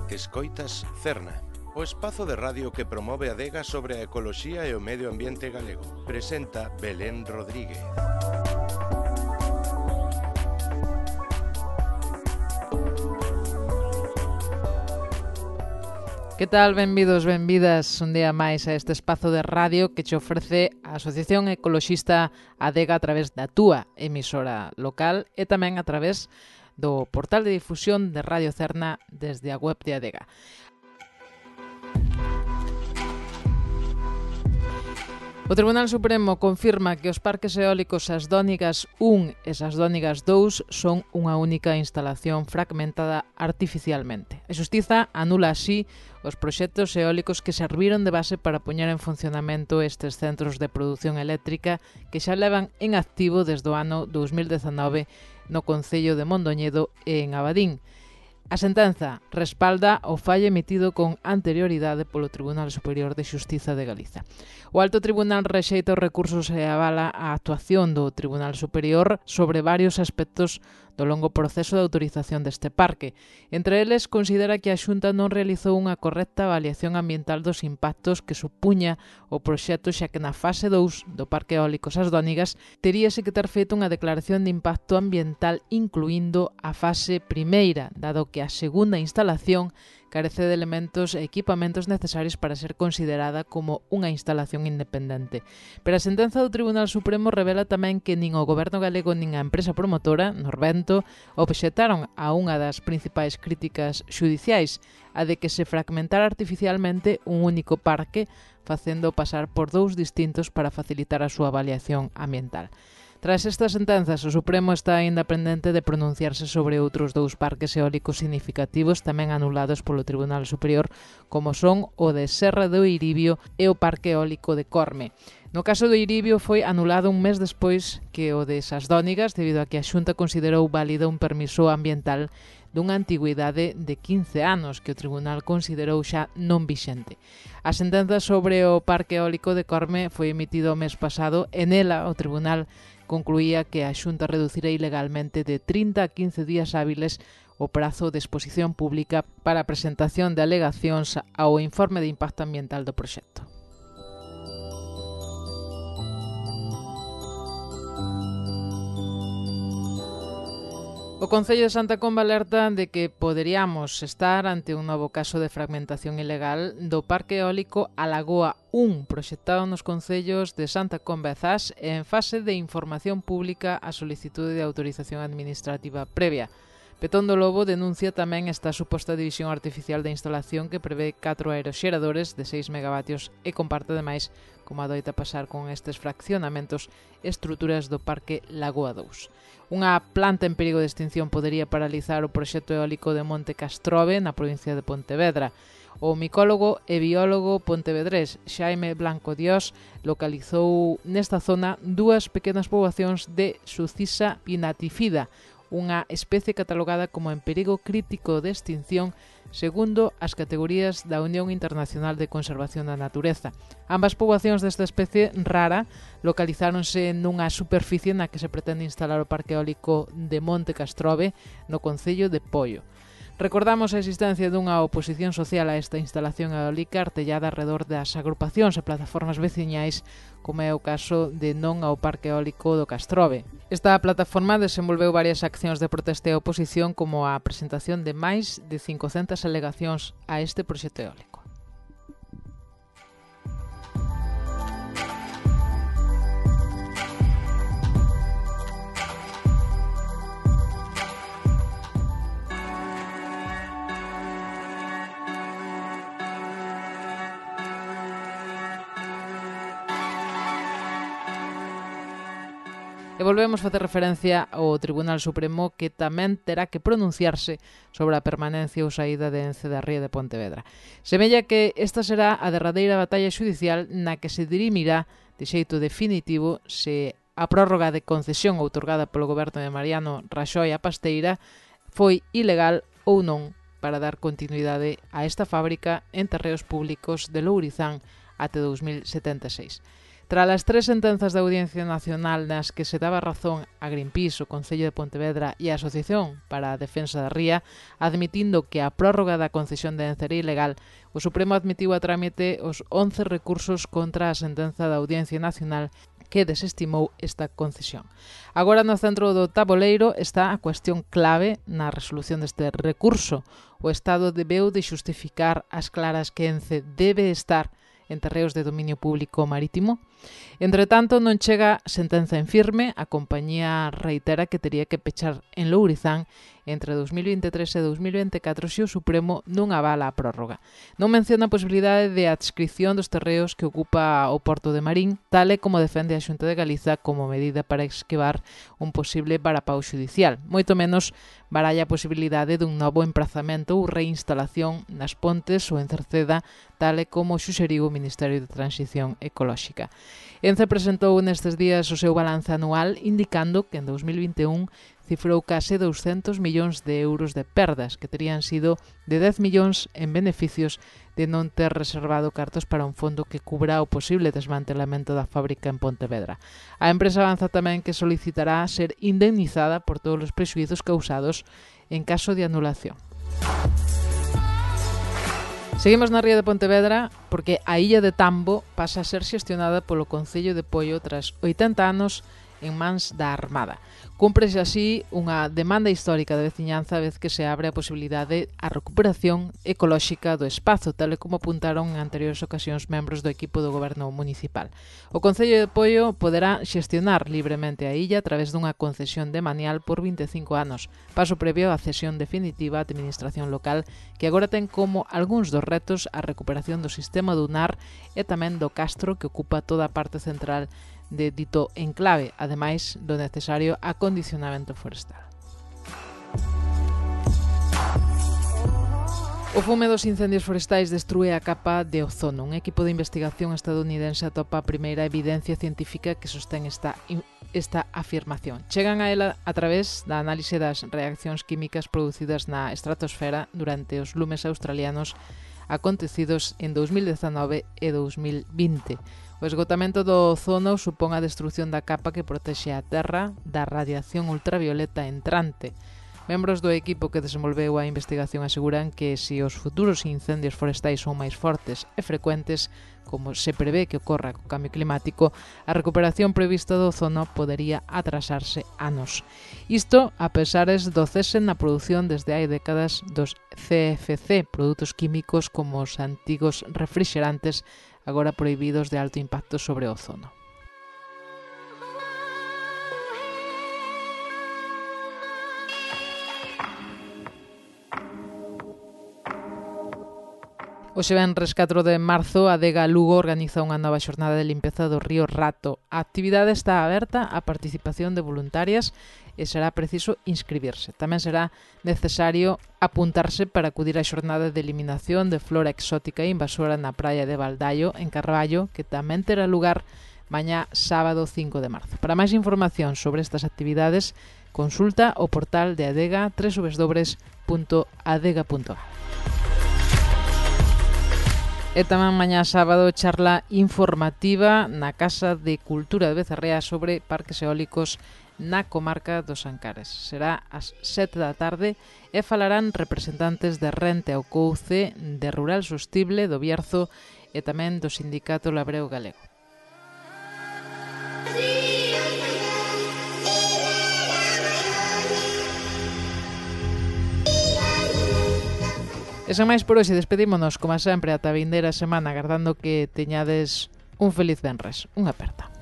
Escoitas Cerna, o espazo de radio que promove a adega sobre a ecoloxía e o medio ambiente galego. Presenta Belén Rodríguez. Que tal? Benvidos, benvidas un día máis a este espazo de radio que che ofrece a Asociación Ecoloxista Adega a través da túa emisora local e tamén a través do portal de difusión de Radio Cerna desde a web de Adega. O Tribunal Supremo confirma que os parques eólicos Sasdónigas 1 e Sasdónigas 2 son unha única instalación fragmentada artificialmente. A Xustiza anula así os proxectos eólicos que serviron de base para poñer en funcionamento estes centros de produción eléctrica que xa levan en activo desde o ano 2019 no concello de Mondoñedo e en Abadín. A sentenza respalda o fallo emitido con anterioridade polo Tribunal Superior de Xustiza de Galiza. O Alto Tribunal rexeita os recursos e avala a actuación do Tribunal Superior sobre varios aspectos do longo proceso de autorización deste parque. Entre eles, considera que a Xunta non realizou unha correcta avaliación ambiental dos impactos que supuña o proxecto, xa que na fase 2 do Parque Eólico Sasdónigas teríase que ter feito unha declaración de impacto ambiental incluindo a fase primeira, dado que a segunda instalación carece de elementos e equipamentos necesarios para ser considerada como unha instalación independente. Pero a sentenza do Tribunal Supremo revela tamén que nin o Goberno galego nin a empresa promotora, Norvento, obxectaron a unha das principais críticas xudiciais, a de que se fragmentara artificialmente un único parque, facendo pasar por dous distintos para facilitar a súa avaliación ambiental. Tras estas sentenzas, o Supremo está aínda pendente de pronunciarse sobre outros dous parques eólicos significativos tamén anulados polo Tribunal Superior, como son o de Serra do Eiribio e o Parque Eólico de Corme. No caso do Eiribio foi anulado un mes despois que o de Sasdónigas, debido a que a Xunta considerou válido un permiso ambiental dunha antigüidade de 15 anos que o Tribunal considerou xa non vixente. A sentenza sobre o Parque Eólico de Corme foi emitida o mes pasado e nela o Tribunal concluía que a Xunta reducira ilegalmente de 30 a 15 días hábiles o prazo de exposición pública para a presentación de alegacións ao informe de impacto ambiental do proxecto. O Concello de Santa Comba alerta de que poderíamos estar ante un novo caso de fragmentación ilegal do Parque Eólico A Lagoa 1, proxectado nos concellos de Santa Comba e Zas en fase de información pública a solicitude de autorización administrativa previa. Petón do Lobo denuncia tamén esta suposta división artificial da instalación que prevé 4 aeroxeradores de 6 megavatios e comparte ademais, como adoita pasar con estes fraccionamentos, estruturas do Parque Lagoa 2. Unha planta en perigo de extinción podería paralizar o proxecto eólico de Monte Castrobe na provincia de Pontevedra. O micólogo e biólogo pontevedrés Xaime Blanco Dios localizou nesta zona dúas pequenas poboacións de Sucisa pinatifida, unha especie catalogada como en perigo crítico de extinción segundo as categorías da Unión Internacional de Conservación da Natureza. Ambas poboacións desta especie rara localizáronse nunha superficie na que se pretende instalar o Parque Eólico de Monte Castrobe no concello de Poio. Recordamos a existencia dunha oposición social a esta instalación eólica artellada alrededor das agrupacións e plataformas veciñais, como é o caso de Non ao Parque Eólico do Castrobe. Esta plataforma desenvolveu varias accións de protesta e oposición, como a presentación de máis de 500 alegacións a este proxecto eólico. E volvemos a facer referencia ao Tribunal Supremo, que tamén terá que pronunciarse sobre a permanencia ou saída de Ence da Ría de Pontevedra. Semella que esta será a derradeira batalla xudicial na que se dirimirá de xeito definitivo se a prórroga de concesión outorgada polo goberno de Mariano Raxoi a Pasteira foi ilegal ou non para dar continuidade a esta fábrica en terreos públicos de Lourizán até 2076. Tras as 3 sentenzas da Audiencia Nacional nas que se daba razón a Greenpeace, o Concello de Pontevedra e a Asociación para a Defensa da Ría, admitindo que a prórroga da concesión de Ence era ilegal, o Supremo admitiu a trámite os 11 recursos contra a sentenza da Audiencia Nacional que desestimou esta concesión. Agora no centro do taboleiro está a cuestión clave na resolución deste recurso. O Estado debeu de xustificar as claras que Ence debe estar en terreos de dominio público marítimo. Entretanto, non chega sentenza en firme, a compañía reitera que tería que pechar en Lourizán entre 2023 e 2024 se o Supremo non avala a prórroga. Non menciona a posibilidade de adscripción dos terreos que ocupa o Porto de Marín, tal e como defende a Xunta de Galiza como medida para esquivar un posible varapau xudicial. Moito menos baralla a posibilidade dun novo emprazamento ou reinstalación nas Pontes ou en Cerceda, tal e como suxeriu o Ministerio de Transición Ecolóxica. Ence presentou nestes días o seu balance anual indicando que en 2021 cifrou case 200 millóns de euros de perdas, que terían sido de 10 millóns en beneficios de non ter reservado cartos para un fondo que cubra o posible desmantelamento da fábrica en Pontevedra. A empresa avanza tamén que solicitará ser indemnizada por todos os prexuízos causados en caso de anulación. Seguimos na ría de Pontevedra porque a illa de Tambo pasa a ser xestionada polo Concello de Poio tras 80 anos en mans da Armada. Cúmprese así unha demanda histórica de veciñanza a vez que se abre a posibilidade a recuperación ecolóxica do espazo, tal e como apuntaron en anteriores ocasións membros do equipo do goberno municipal. O Concello de Poio poderá xestionar libremente a illa a través dunha concesión de manial por 25 anos, paso previo á cesión definitiva á administración local, que agora ten como algúns dos retos a recuperación do sistema dunar e tamén do castro que ocupa toda a parte central de dito enclave, ademais do necesario acondicionamento forestal. O fume dos incendios forestais destrúe a capa de ozono. Un equipo de investigación estadounidense atopa a primeira evidencia científica que sostén esta afirmación. Chegan a ela a través da análise das reaccións químicas producidas na estratosfera durante os lumes australianos acontecidos en 2019 e 2020. O esgotamento do ozono supón a destrución da capa que protexe a Terra da radiación ultravioleta entrante. Membros do equipo que desenvolveu a investigación aseguran que se os futuros incendios forestais son máis fortes e frecuentes, como se prevé que ocorra co cambio climático, a recuperación prevista do ozono podería atrasarse anos. Isto a pesares do cese na produción desde hai décadas dos CFC, produtos químicos como os antigos refrigerantes agora prohibidos de alto impacto sobre o ozono. Hoxe venres 4 de marzo, a Adega Lugo organiza unha nova xornada de limpeza do río Rato. A actividade está aberta á participación de voluntarias e será preciso inscribirse. Tamén será necesario apuntarse para acudir á xornada de eliminación de flora exótica e invasora na praia de Valdallo, en Carballo, que tamén terá lugar mañá sábado 5 de marzo. Para máis información sobre estas actividades, consulta o portal de Adega www.adega.gal. E tamén mañá sábado charla informativa na Casa de Cultura de Becerrea sobre parques eólicos na comarca dos Ancares. Será ás 7 da tarde e falarán representantes de Rente ao Couce, de Rural Sostible, do Bierzo e tamén do Sindicato Labreo Galego. E sen máis por hoxe, despedímonos, como sempre, ata a vindeira semana, agardando que teñades un feliz venres. Unha aperta.